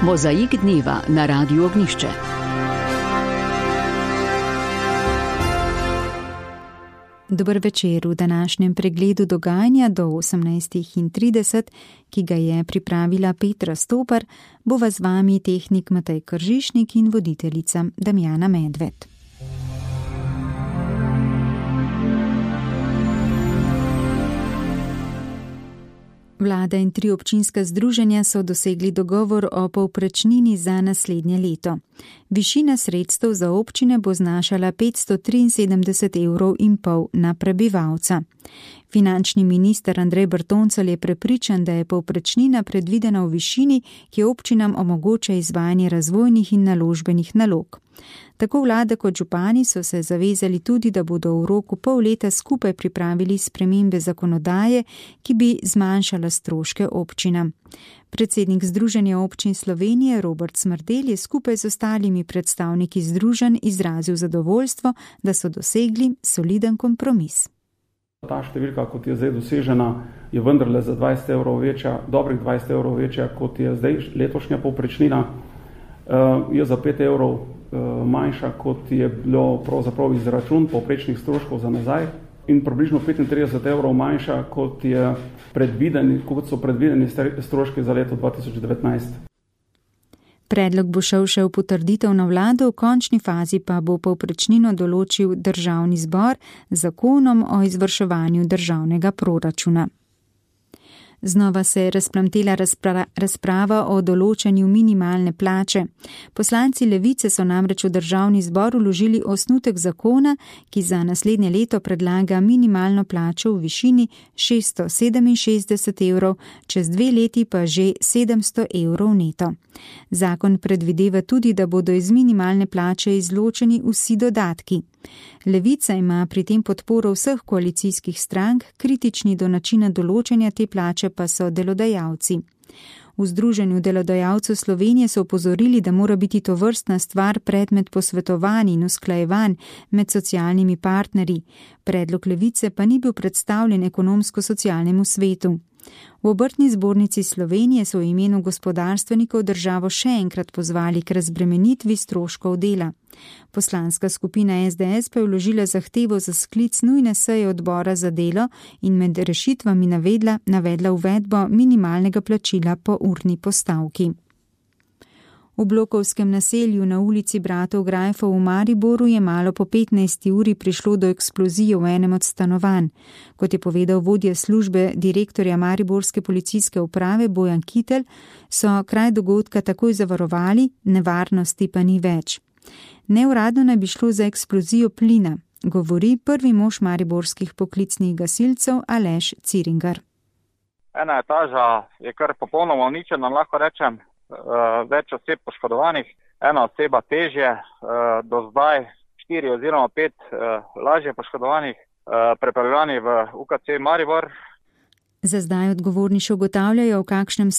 Mozaik dneva na Radiu Ognjišče. Dober večer v današnjem pregledu dogajanja do 18:30, ki ga je pripravila Petra Stopar, bova z vami tehnik Matej Kržišnik in voditeljica Damjana Medved. Vlada in 3 občinska združenja so dosegli dogovor o povprečnini za naslednje leto. Višina sredstev za občine bo znašala 573,5 € na prebivalca. Finančni minister Andrej Bertoncelj je prepričan, da je povprečnina predvidena v višini, ki občinam omogoča izvajanje razvojnih in naložbenih nalog. Tako vlada kot župani so se zavezali tudi, da bodo v roku pol leta skupaj pripravili spremembe zakonodaje, ki bi zmanjšala stroške občinam. Predsednik Združenja občin Slovenije Robert Smrdelj je skupaj z ostalimi predstavniki združenj izrazil zadovoljstvo, da so dosegli soliden kompromis. Ta številka, kot je zdaj dosežena, je vendarle za 20 € večja, dobrih 20 € večja, kot je zdaj letošnja povprečnina. Je za 5 € manjša, kot je bilo pravzaprav izračun povprečnih stroškov za nazaj, in približno 35 € manjša, kot so predvideni stroški za leto 2019. Predlog bo šel še v potrditev na vlado, v končni fazi pa bo povprečnino določil Državni zbor z zakonom o izvrševanju državnega proračuna. Znova se je razplamtela razprava o določanju minimalne plače. Poslanci Levice so namreč v Državni zbor vložili osnutek zakona, ki za naslednje leto predlaga minimalno plačo v višini 667 €, čez 2 leti pa že 700 € neto. Zakon predvideva tudi, da bodo iz minimalne plače izločeni vsi dodatki. Levica ima pri tem podporo vseh koalicijskih strank, kritični do načina določanja te plače pa so delodajalci. V Združenju delodajalcev Slovenije so opozorili, da mora biti tovrstna stvar predmet posvetovanj in usklajevanj med socialnimi partnerji. Predlog Levice pa ni bil predstavljen ekonomsko-socialnemu svetu. V Obrtni zbornici Slovenije so v imenu gospodarstvenikov državo še enkrat pozvali k razbremenitvi stroškov dela. Poslanska skupina SDS pa je vložila zahtevo za sklic nujne seje odbora za delo in med rešitvami navedla uvedbo minimalnega plačila po urni postavki. V blokovskem naselju na ulici Bratov Grajfov v Mariboru je malo po 15. uri prišlo do eksplozije v enem od stanovanj. Kot je povedal vodja službe direktorja Mariborske policijske uprave Bojan Kitelj, so kraj dogodka takoj zavarovali, nevarnosti pa ni več. Neuradno naj bi šlo za eksplozijo plina, govori prvi mož mariborskih poklicnih gasilcev Aleš Ciringar. Ena etaža je kar popolnoma uničena, lahko rečem. Več oseb poškodovanih, ena oseba težje, do zdaj 4 oziroma 5 lažje poškodovanih, prepeljani v UKC Maribor. Za zdaj odgovorni še ugotavljajo, v kakšnem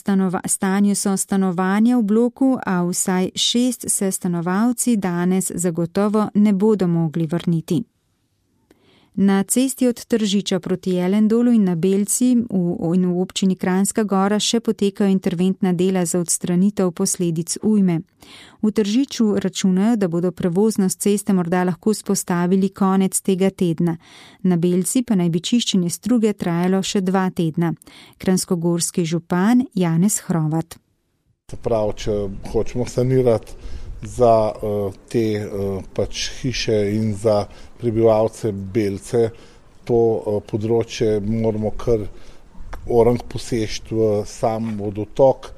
stanju so stanovanja v bloku, a vsaj 6 se stanovalci danes zagotovo ne bodo mogli vrniti. Na cesti od Tržiča proti Jelendolu in na Belci in v občini Kranjska Gora še potekajo interventna dela za odstranitev posledic ujme. V Tržiču računajo, da bodo prevoznost ceste morda lahko vzpostavili konec tega tedna. Na Belci pa naj bi čiščenje struge trajalo še 2 tedna. Kranjskogorski župan Janez Hrovat. Prav, če hočemo sanirati za te hiše in za prebivalce Belce, to področje moramo kar orang poseči v sam vodotok,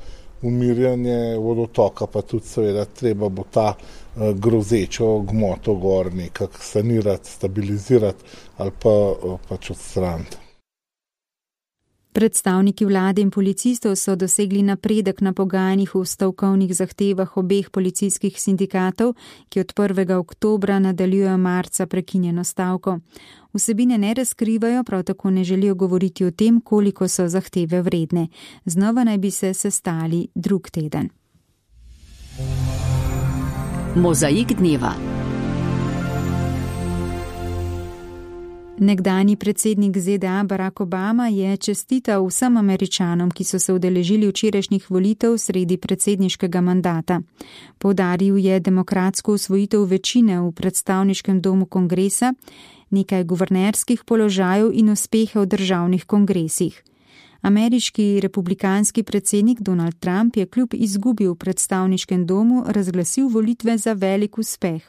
umirjanje vodotoka, pa tudi seveda treba bo ta grozečo gmoto gor nekako sanirati, stabilizirati ali pa pač odstraniti. Predstavniki vlade in policistov so dosegli napredek na pogajanjih v stavkovnih zahtevah obeh policijskih sindikatov, ki od 1. oktobra nadaljujejo marca prekinjeno stavko. Vsebine ne razkrivajo, prav tako ne želijo govoriti o tem, koliko so zahteve vredne. Znova naj bi se sestali drug teden. Mozaik dneva. Nekdanji predsednik ZDA Barack Obama je čestital vsem Američanom, ki so se udeležili včerajšnjih volitev sredi predsedniškega mandata. Poudaril je demokratsko usvojitev večine v predstavniškem domu kongresa, nekaj guvernerskih položajev in uspehe v državnih kongresih. Ameriški republikanski predsednik Donald Trump je kljub izgubi v predstavniškem domu razglasil volitve za velik uspeh.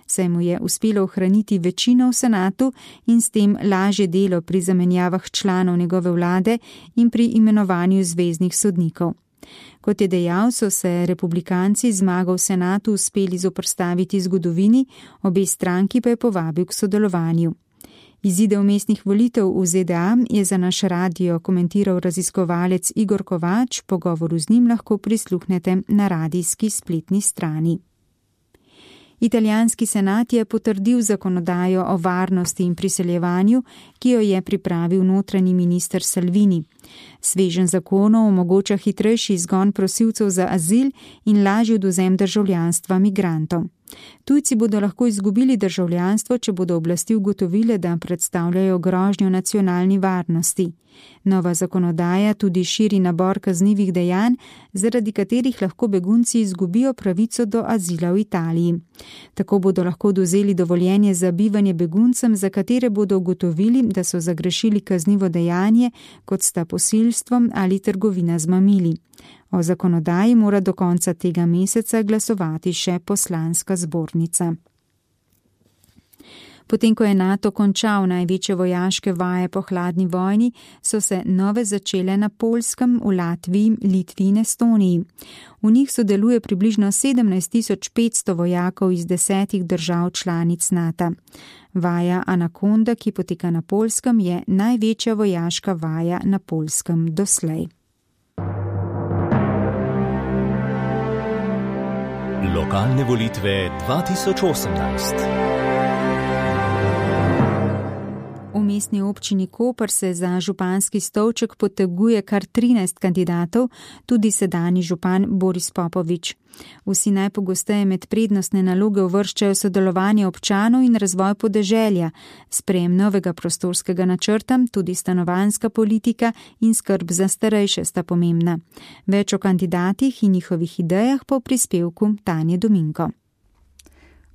Saj mu je uspelo ohraniti večino v senatu in s tem lažje delo pri zamenjavah članov njegove vlade in pri imenovanju zveznih sodnikov. Kot je dejal, so se republikanci zmago v senatu uspeli zoperstaviti zgodovini, obe stranki pa je povabil k sodelovanju. Izide vmesnih volitev v ZDA je za naš radio komentiral raziskovalec Igor Kovač, pogovoru z njim lahko prisluhnete na radijski spletni strani. Italijanski senat je potrdil zakonodajo o varnosti in priseljevanju, ki jo je pripravil notranji minister Salvini. Sveženj zakonov omogoča hitrejši izgon prosilcev za azil in lažji odvzem državljanstva migrantom. Tujci bodo lahko izgubili državljanstvo, če bodo oblasti ugotovile, da predstavljajo grožnjo nacionalni varnosti. Nova zakonodaja tudi širi nabor kaznivih dejanj, zaradi katerih lahko begunci izgubijo pravico do azila v Italiji. Tako bodo lahko odvzeli dovoljenje za bivanje beguncem, za katere bodo ugotovili, da so zagrešili kaznivo dejanje, kot sta posilstvo ali trgovina z mamili. O zakonodaji mora do konca tega meseca glasovati še poslanska zbornica. Potem, ko je NATO končal največje vojaške vaje po hladni vojni, so se nove začele na Poljskem, v Latviji, Litvi in Estoniji. V njih sodeluje približno 17.500 vojakov iz 10 držav članic NATO. Vaja Anakonda, ki poteka na Poljskem, je največja vojaška vaja na Poljskem doslej. Lokalne volitve 2018. V mestni občini Koper se za županski stolček poteguje kar 13 kandidatov, tudi sedanji župan Boris Popovič. Vsi najpogosteje med prednostne naloge uvrščajo sodelovanje občanov in razvoj podeželja, sprejem novega prostorskega načrta, tudi stanovanjska politika in skrb za starejše sta pomembna. Več o kandidatih in njihovih idejah po prispevku Tanje Dominko.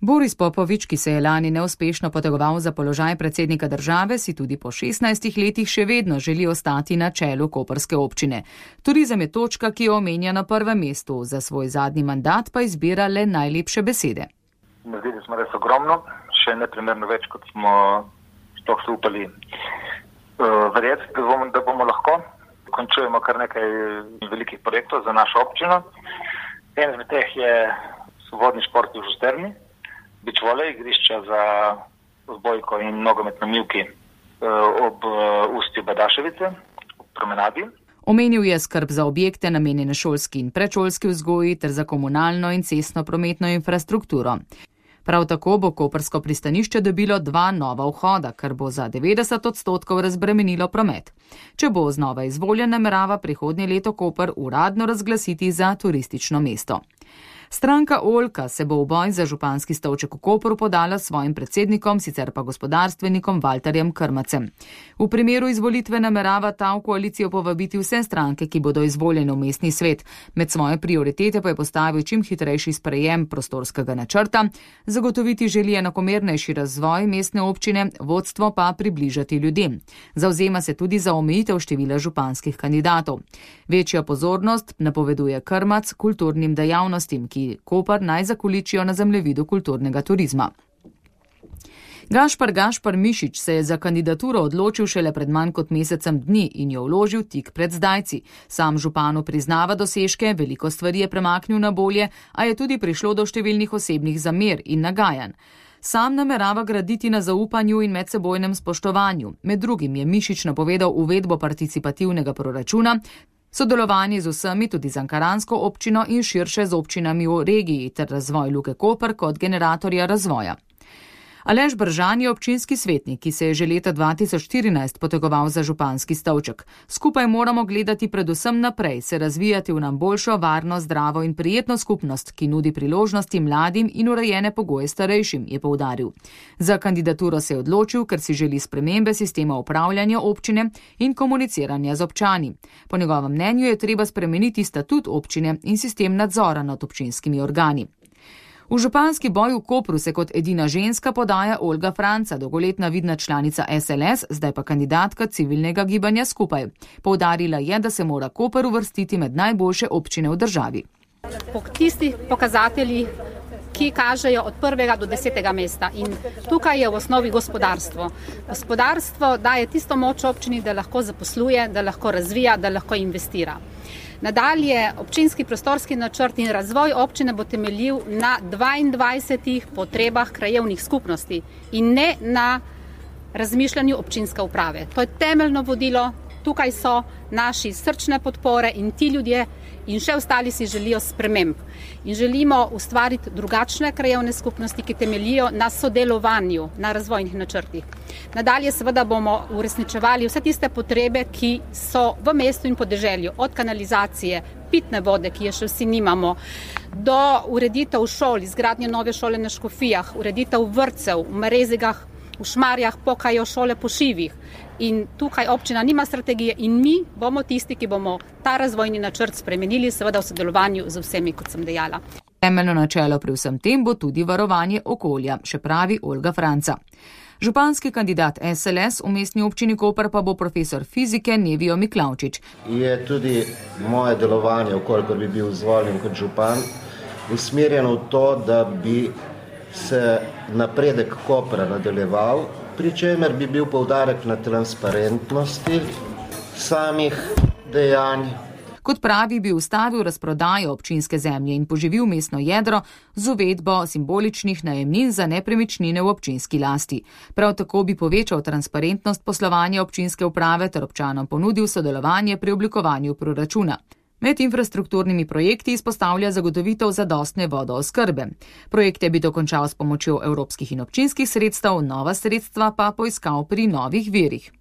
Boris Popovič, ki se je lani neuspešno potegoval za položaj predsednika države, si tudi po 16 letih še vedno želi ostati na čelu koprske občine. Turizem je točka, ki jo omenja na prvem mestu, za svoj zadnji mandat pa izbira le najlepše besede. Naredili smo res ogromno, še neprimerno več, kot smo sploh se upali verjeti, da bomo lahko. Končujemo kar nekaj velikih projektov za našo občino. En izmed teh je vodni šport v Žusterni, beach volej, igrišča za odbojko in nogomet na Mivki ob ustju Badaševice, ob promenadi. Omenil je skrb za objekte namenjene šolski in predšolski vzgoji ter za komunalno in cestno prometno infrastrukturo. Prav tako bo koprsko pristanišče dobilo 2 nova vhoda, kar bo za 90% razbremenilo promet. Če bo znova izvoljen, namerava prihodnje leto Koper uradno razglasiti za turistično mesto. Stranka Oljka se bo v boj za županski stolček v Kopru podala s svojim predsednikom, sicer pa gospodarstvenikom Valterjem Krmacem. V primeru izvolitve namerava ta v koalicijo povabiti vse stranke, ki bodo izvoljene v mestni svet. Med svoje prioritete pa je postavil čim hitrejši sprejem prostorskega načrta, zagotoviti želi enakomernejši razvoj mestne občine, vodstvo pa približati ljudem. Zavzema se tudi za omejitev števila županskih kandidatov. Večja pozornost napoveduje Krmac kulturnim dejavnostim, ki Koper naj zakoličijo na zemljevidu kulturnega turizma. Gašpar Mišič se je za kandidaturo odločil šele pred manj kot mesecem dni in jo vložil tik pred zdajci. Sam županu priznava dosežke, veliko stvari je premaknil na bolje, a je tudi prišlo do številnih osebnih zamer in nagajanj. Sam namerava graditi na zaupanju in medsebojnem spoštovanju. Med drugim je Mišič napovedal uvedbo participativnega proračuna, sodelovanje z vsemi, tudi z ankaransko občino in širše z občinami v regiji ter razvoj Luke Koper kot generatorja razvoja. Aleš Bržan je občinski svetnik, ki se je že leta 2014 potegoval za županski stolček. Skupaj moramo gledati predvsem naprej, se razvijati v nam boljšo, varno, zdravo in prijetno skupnost, ki nudi priložnosti mladim in urejene pogoje starejšim, je poudaril. Za kandidaturo se je odločil, ker si želi spremembe sistema upravljanja občine in komuniciranja z občani. Po njegovem mnenju je treba spremeniti statut občine in sistem nadzora nad občinskimi organi. V županski boj v Kopru se kot edina ženska podaja Olga Franca, dolgoletna vidna članica SLS, zdaj pa kandidatka civilnega gibanja Skupaj. Poudarila je, da se mora Koper uvrstiti med najboljše občine v državi. Po tistih pokazateljih, ki kažejo od 1. do 10. mesta. In tukaj je v osnovi gospodarstvo. Gospodarstvo daje tisto moč občini, da lahko zaposluje, da lahko razvija, da lahko investira. Nadalje, občinski prostorski načrt in razvoj občine bo temeljil na 22 potrebah krajevnih skupnosti in ne na razmišljanju občinske uprave. To je temeljno vodilo, tukaj so naši srčne podpore in ti ljudje in še ostali si želijo sprememb. In želimo ustvariti drugačne krajevne skupnosti, ki temeljijo na sodelovanju, na razvojnih načrtih. Nadalje seveda bomo uresničevali vse tiste potrebe, ki so v mestu in podeželju, od kanalizacije, pitne vode, ki je še vsi nimamo, do ureditev šol, izgradnje nove šole na Škofijah, ureditev vrtcev, v Marezigah, v Šmarjah pokajo šole po šivih. In tukaj občina nima strategije in mi bomo tisti, ki bomo ta razvojni načrt spremenili, seveda v sodelovanju z vsemi, kot sem dejala. Temeljno načelo pri vsem tem bo tudi varovanje okolja, še pravi Olga Franca. Županski kandidat SLS v mestni občini Koper pa bo profesor fizike Nevijo Miklavčič. Je tudi moje delovanje, okolikor bi bil izvoljen kot župan, usmerjeno v to, da bi se napredek Kopra nadaljeval, pri čemer bi bil poudarek na transparentnosti samih dejanj. Kot pravi, bi ustavil razprodajo občinske zemlje in poživil mestno jedro z uvedbo simboličnih najemnin za nepremičnine v občinski lasti. Prav tako bi povečal transparentnost poslovanja občinske uprave ter občanom ponudil sodelovanje pri oblikovanju proračuna. Med infrastrukturnimi projekti izpostavlja zagotovitev zadostne vodooskrbe. Projekte bi dokončal s pomočjo evropskih in občinskih sredstev, nova sredstva pa poiskal pri novih virih.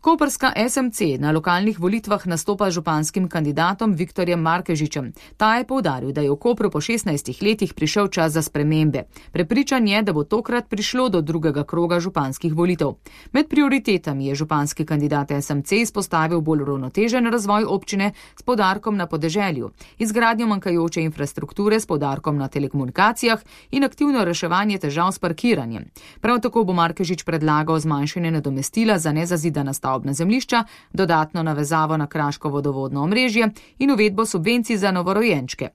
Koprska SMC na lokalnih volitvah nastopa županskim kandidatom Viktorjem Markežičem. Ta je poudaril, da je v Kopru po 16 letih prišel čas za spremembe. Prepričan je, da bo tokrat prišlo do drugega kroga županskih volitev. Med prioritetami je županski kandidat SMC izpostavil bolj uravnotežen razvoj občine s poudarkom na podeželju, izgradnjo manjkajoče infrastrukture s poudarkom na telekomunikacijah in aktivno reševanje težav s parkiranjem. Prav tako bo Markežič predlagal zmanjšanje nadomestila za nezazidana stavbna zemljišča, dodatno navezavo na kraško vodovodno omrežje in uvedbo subvencij za novorojenčke.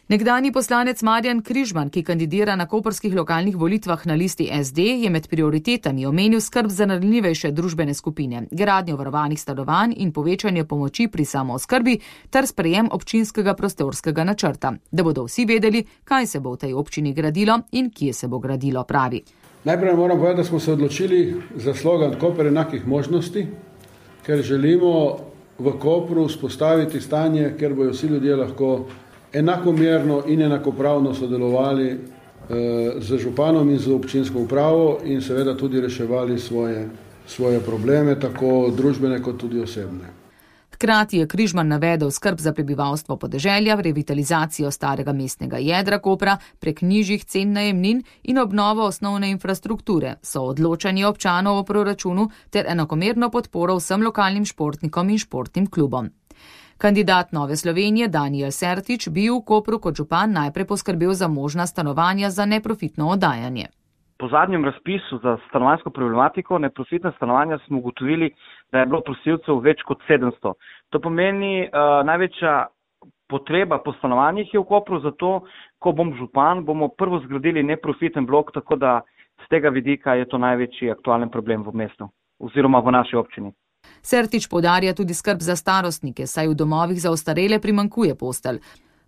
Nekdanji poslanec Marjan Križman, ki kandidira na koprskih lokalnih volitvah na listi SD, je med prioritetami omenil skrb za ranljivejše družbene skupine, gradnjo varovanih stanovanj in povečanje pomoči pri samooskrbi ter sprejem občinskega prostorskega načrta, da bodo vsi vedeli, kaj se bo v tej občini gradilo in kje se bo gradilo, pravi. Najprej moram povedati, da smo se odločili za slogan Koper enakih možnosti, ker želimo v Kopru vzpostaviti stanje, kjer bojo vsi ljudje lahko enakomerno in enakopravno sodelovali z županom in z občinsko upravo in seveda tudi reševali svoje probleme, tako družbene kot tudi osebne. Hkrati je Križman navedel skrb za prebivalstvo podeželja, revitalizacijo starega mestnega jedra Kopra prek nižjih cen najemnin in obnovo osnovne infrastrukture, soodločanje občanov o proračunu ter enakomerno podporo vsem lokalnim športnikom in športnim klubom. Kandidat Nove Slovenije Danijel Sertič bi v Kopru kot župan najprej poskrbel za možna stanovanja za neprofitno oddajanje. Po zadnjem razpisu za stanovanjsko problematiko neprofitne stanovanja smo ugotovili, da je bilo prosilcev več kot 700. To pomeni največja potreba po stanovanjih je v Kopru, zato ko bom župan, bomo prvo zgradili neprofiten blok, tako da z tega vidika je to največji aktualen problem v mestu oziroma v naši občini. Sertič poudarja tudi skrb za starostnike, saj v domovih za ostarele primanjkuje postelj.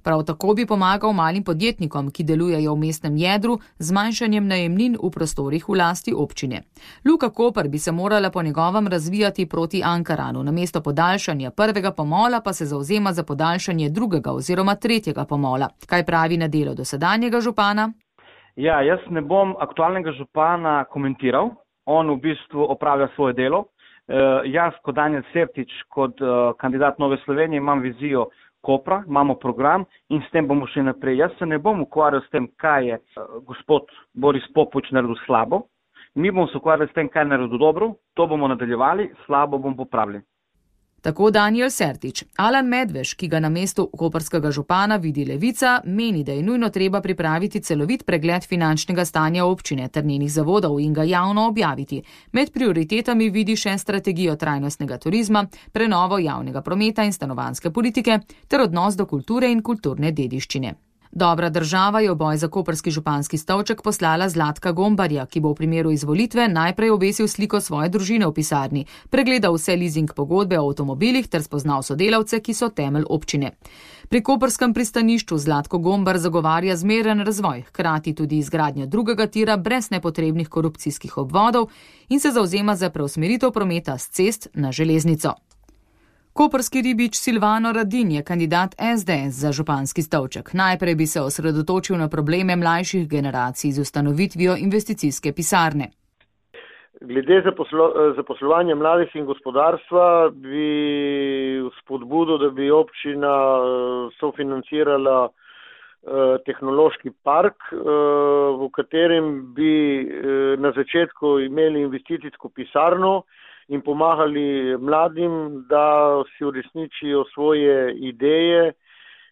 Prav tako bi pomagal malim podjetnikom, ki delujejo v mestnem jedru, z zmanjšanjem najemnin v prostorih v lasti občine. Luka Koper bi se morala po njegovem razvijati proti Ankaranu, namesto podaljšanja prvega pomola pa se zavzema za podaljšanje drugega oziroma tretjega pomola. Kaj pravi na delo dosedanjega župana? Ja, jaz ne bom aktualnega župana komentiral. On v bistvu opravlja svoje delo. Jaz kot Danijel Sertič, kot kandidat Nove Slovenije imam vizijo Kopra, imamo program in s tem bomo šli naprej. Jaz se ne bom ukvarjal s tem, kaj je gospod Boris Popovič naredil slabo. Mi bomo se ukvarjali s tem, kaj je naredil dobro, to bomo nadaljevali, slabo bomo popravili. Tako Danijel Sertič. Alan Medveš, ki ga na mestu koprskega župana vidi Levica, meni, da je nujno treba pripraviti celovit pregled finančnega stanja občine ter njenih zavodov in ga javno objaviti. Med prioritetami vidi še strategijo trajnostnega turizma, prenovo javnega prometa in stanovanjske politike ter odnos do kulture in kulturne dediščine. Dobra država je v boj za koprski županski stolček poslala Zlatka Gombarja, ki bo v primeru izvolitve najprej obesil sliko svoje družine v pisarni, pregledal vse leasing pogodbe o avtomobilih ter spoznal sodelavce, ki so temelj občine. Pri koprskem pristanišču Zlatko Gombar zagovarja zmeren razvoj, hkrati tudi izgradnjo drugega tira brez nepotrebnih korupcijskih obvodov in se zavzema za preusmeritev prometa s cest na železnico. Koprski ribič Silvano Radin je kandidat SDS za županski stolček. Najprej bi se osredotočil na probleme mlajših generacij z ustanovitvijo investicijske pisarne. Glede zaposlovanja mladih in gospodarstva bi spodbudo, da bi občina sofinancirala tehnološki park, v katerem bi na začetku imeli investicijsko pisarno in pomagali mladim, da si uresničijo svoje ideje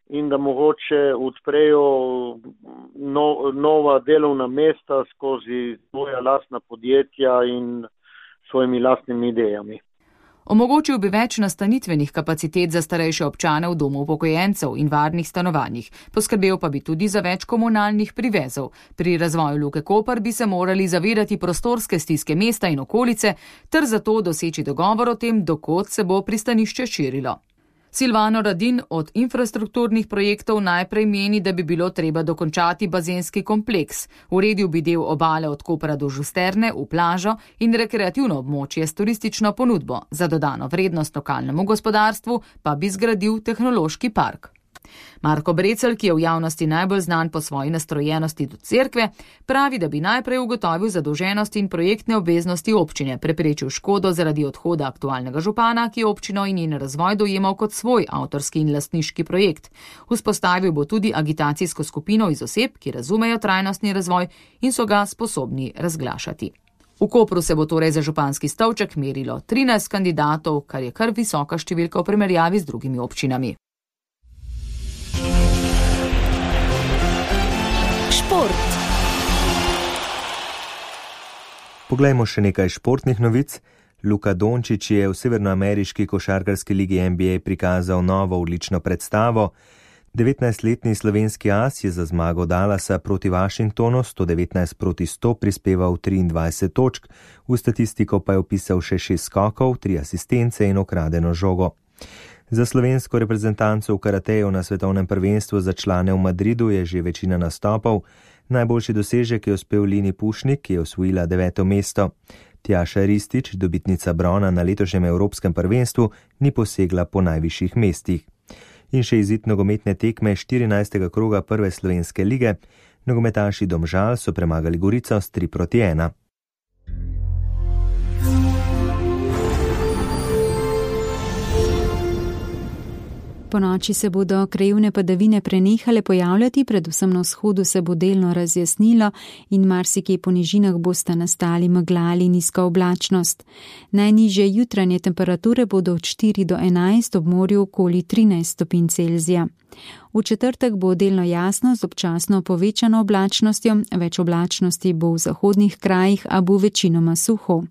in da mogoče odprejo nova delovna mesta skozi svoja lastna podjetja in svojimi lastnimi idejami. Omogočil bi več nastanitvenih kapacitet za starejše občane v domu upokojencev in varnih stanovanjih, poskrbel pa bi tudi za več komunalnih privezov. Pri razvoju Luke Koper bi se morali zavedati prostorske stiske mesta in okolice ter zato doseči dogovor o tem, dokot se bo pristanišče širilo. Silvano Radin od infrastrukturnih projektov najprej meni, da bi bilo treba dokončati bazenski kompleks. Uredil bi del obale od Kopra do Žusterne v plažo in rekreativno območje s turistično ponudbo. Za dodano vrednost lokalnemu gospodarstvu pa bi zgradil tehnološki park. Marko Brecelj, ki je v javnosti najbolj znan po svoji nastrojenosti do cerkve, pravi, da bi najprej ugotovil zadolženost in projektne obveznosti občine, preprečil škodo zaradi odhoda aktualnega župana, ki je občino in njen razvoj dojemal kot svoj avtorski in lastniški projekt. Vzpostavil bo tudi agitacijsko skupino iz oseb, ki razumejo trajnostni razvoj in so ga sposobni razglašati. V Kopru se bo torej za županski stolček merilo 13 kandidatov, kar je kar visoka številka v primerjavi z drugimi občinami. Šport. Poglejmo še nekaj športnih novic. Luka Dončić je v severnoameriški košarkarski ligi NBA prikazal novo odlično predstavo. 19-letni slovenski as je za zmago Dallasa proti Washingtonu 119-100 prispeval 23 točk, v statistiko pa je vpisal še 6 skokov, 3 asistence in ukradeno žogo. Za slovensko reprezentanco v karateju na svetovnem prvenstvu za člane v Madridu je že večina nastopov. Najboljši dosežek je uspel Lini Pušnik, ki je osvojila 9. mesto. Tjaša Ristić, dobitnica brona na letošnjem evropskem prvenstvu, ni posegla po najvišjih mestih. In še izid nogometne tekme 14. kroga prve slovenske lige. Nogometaši Domžal so premagali Gorico s 3-1. Po noči se bodo krajevne padavine prenehale pojavljati, predvsem na vzhodu se bo delno razjasnilo in marsikje po nižinah bosta nastali megla ali nizka oblačnost. Najnižje jutranje temperature bodo od 4 do 11, ob morju okoli 13 stopinj Celzija. V četrtek bo delno jasno z občasno povečano oblačnostjo, več oblačnosti bo v zahodnih krajih, a bo večinoma suho.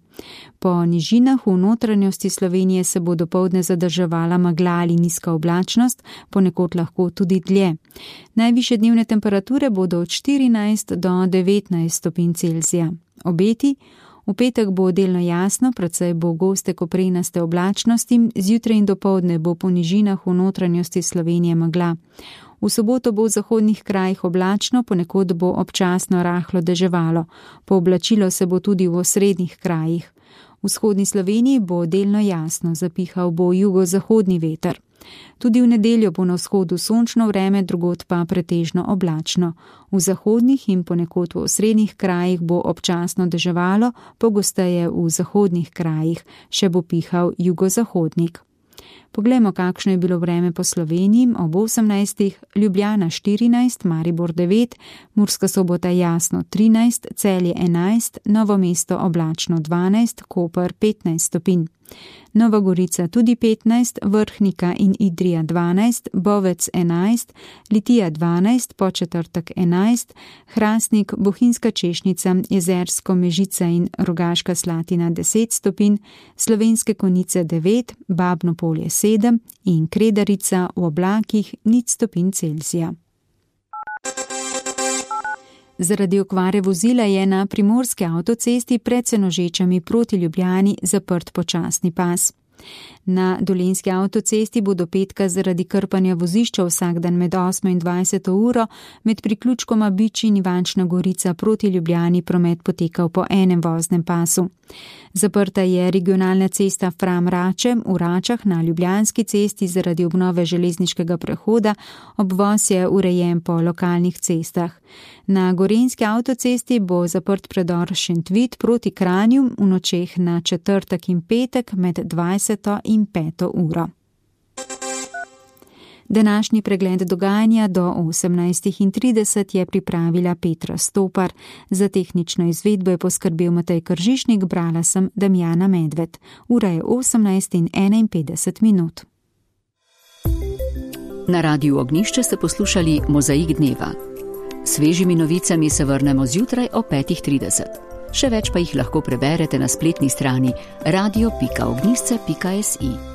Po nižinah v notranjosti Slovenije se bo dopoldne zadrževala megla ali nizka oblačnost, ponekod lahko tudi dlje. Najvišje dnevne temperature bodo od 14 do 19 stopinj Celzija. Obeti: v petek bo delno jasno, precej bo goste koprenaste oblačnosti, zjutraj in dopoldne bo po nižinah v notranjosti Slovenije megla. V soboto bo v zahodnih krajih oblačno, ponekod bo občasno rahlo deževalo. Pooblačilo se bo tudi v osrednjih krajih. V vzhodni Sloveniji bo delno jasno, zapihal bo jugozahodni veter. Tudi v nedeljo bo na vzhodu sončno vreme, drugod pa pretežno oblačno. V zahodnih in ponekod v osrednjih krajih bo občasno deževalo, pogosteje v zahodnih krajih, še bo pihal jugozahodnik. Poglejmo, kakšno je bilo vreme po Sloveniji. Ob 18. Ljubljana 14, Maribor 9, Murska Sobota jasno 13, Celje 11, Novo mesto oblačno 12, Koper 15 stopinj. Nova Gorica tudi 15, Vrhnika in Idrija 12, Bovec 11, Litija 12, Podčetrtek 11, Hrastnik, Bohinjska Češnica, Jezersko, Mežica in Rogaška Slatina 10 stopinj, Slovenske Konjice 9, Babno Polje 7 in Kredarica v oblakih 0 stopinj Celzija. Zaradi okvare vozila je na primorski avtocesti pred Senožečami proti Ljubljani zaprt počasni pas. Na dolenjski avtocesti bo do petka zaradi krpanja vozišča vsak dan med 8 in 20 uro med priključkoma Bič in Ivančna Gorica proti Ljubljani promet potekal po enem voznem pasu. Zaprta je regionalna cesta Fram-Rače v Račah na Ljubljanski cesti zaradi obnove železniškega prehoda, obvoz je urejen po lokalnih cestah. Na gorenjski avtocesti bo zaprt predor Šentvid proti Kranju v nočeh na četrtek in petek med 20 in 5 uro. Današnji pregled dogajanja do 18:30 je pripravila Petra Stopar. Za tehnično izvedbo je poskrbel Matej Kržišnik, brala sem Damjana Medved. Ura je 18:51. Na Radiu Ognjišče ste poslušali Mozaik dneva. Svežimi novicami se vrnemo zjutraj o 5:30. Še več pa jih lahko preberete na spletni strani radio.ognjišče.si.